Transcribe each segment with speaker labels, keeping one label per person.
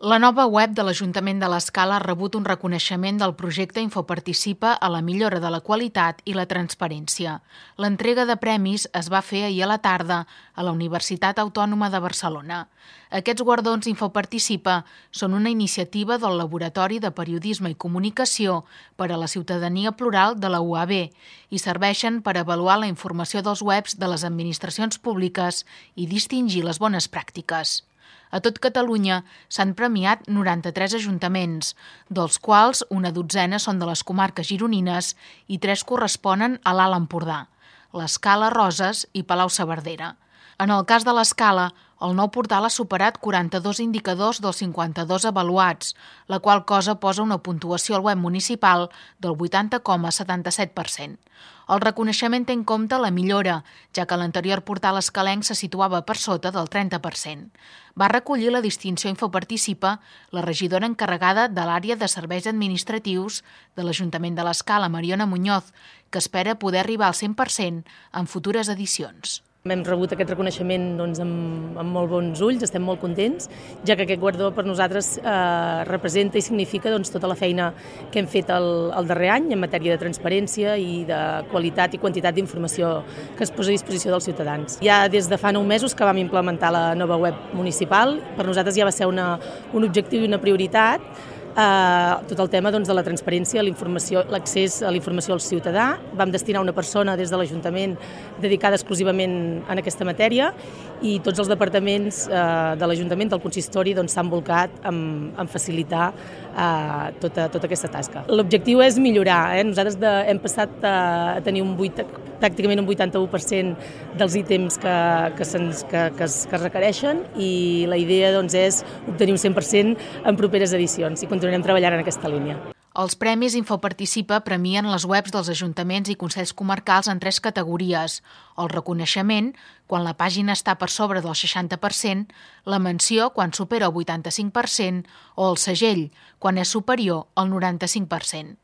Speaker 1: La nova web de l'Ajuntament de l'Escala ha rebut un reconeixement del projecte Infoparticipa a la millora de la qualitat i la transparència. L'entrega de premis es va fer ahir a la tarda a la Universitat Autònoma de Barcelona. Aquests guardons Infoparticipa són una iniciativa del Laboratori de Periodisme i Comunicació per a la Ciutadania Plural de la UAB i serveixen per avaluar la informació dels webs de les administracions públiques i distingir les bones pràctiques. A tot Catalunya s'han premiat 93 ajuntaments, dels quals una dotzena són de les comarques gironines i 3 corresponen a l'Alt Empordà, l'Escala, Roses i Palau-saverdera. En el cas de l'Escala, el nou portal ha superat 42 indicadors dels 52 avaluats, la qual cosa posa una puntuació al web municipal del 80,77%. El reconeixement té en compte la millora, ja que l'anterior portal escalenc se situava per sota del 30%. Va recollir la distinció Infoparticipa la regidora encarregada de l'àrea de serveis administratius de l'Ajuntament de l'Escala, Mariona Muñoz, que espera poder arribar al 100% en futures edicions.
Speaker 2: Hem rebut aquest reconeixement amb molt bons ulls, estem molt contents, ja que aquest guardó per nosaltres representa i significa tota la feina que hem fet el darrer any en matèria de transparència i de qualitat i quantitat d'informació que es posa a disposició dels ciutadans. Ja des de fa 9 mesos que vam implementar la nova web municipal, per nosaltres ja va ser un objectiu i una prioritat, tot el tema de la transparència, l'accés a la informació al ciutadà. Vam destinar una persona des de l'Ajuntament dedicada exclusivament en aquesta matèria i tots els departaments de l'Ajuntament, del consistori, s'han volcat en facilitar tota aquesta tasca. L'objectiu és millorar. Nosaltres hem passat a tenir pràcticament un 81% dels ítems que es requereixen i la idea és obtenir un 100% en properes edicions i continuarem treballant en aquesta línia.
Speaker 1: Els premis Infoparticipa premien les webs dels ajuntaments i consells comarcals en 3 categories: el reconeixement, quan la pàgina està per sobre del 60%, la menció, quan supera el 85%, o el segell, quan és superior al 95%.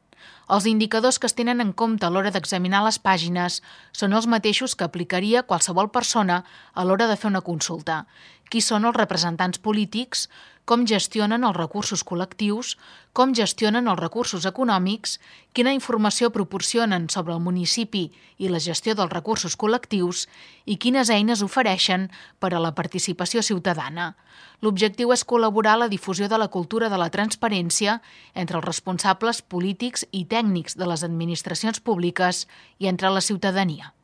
Speaker 1: Els indicadors que es tenen en compte a l'hora d'examinar les pàgines són els mateixos que aplicaria qualsevol persona a l'hora de fer una consulta. Qui són els representants polítics, com gestionen els recursos col·lectius, com gestionen els recursos econòmics, quina informació proporcionen sobre el municipi i la gestió dels recursos col·lectius i quines eines ofereixen per a la participació ciutadana. L'objectiu és col·laborar a la difusió de la cultura de la transparència entre els responsables polítics i tècnics de les administracions públiques i entre la ciutadania.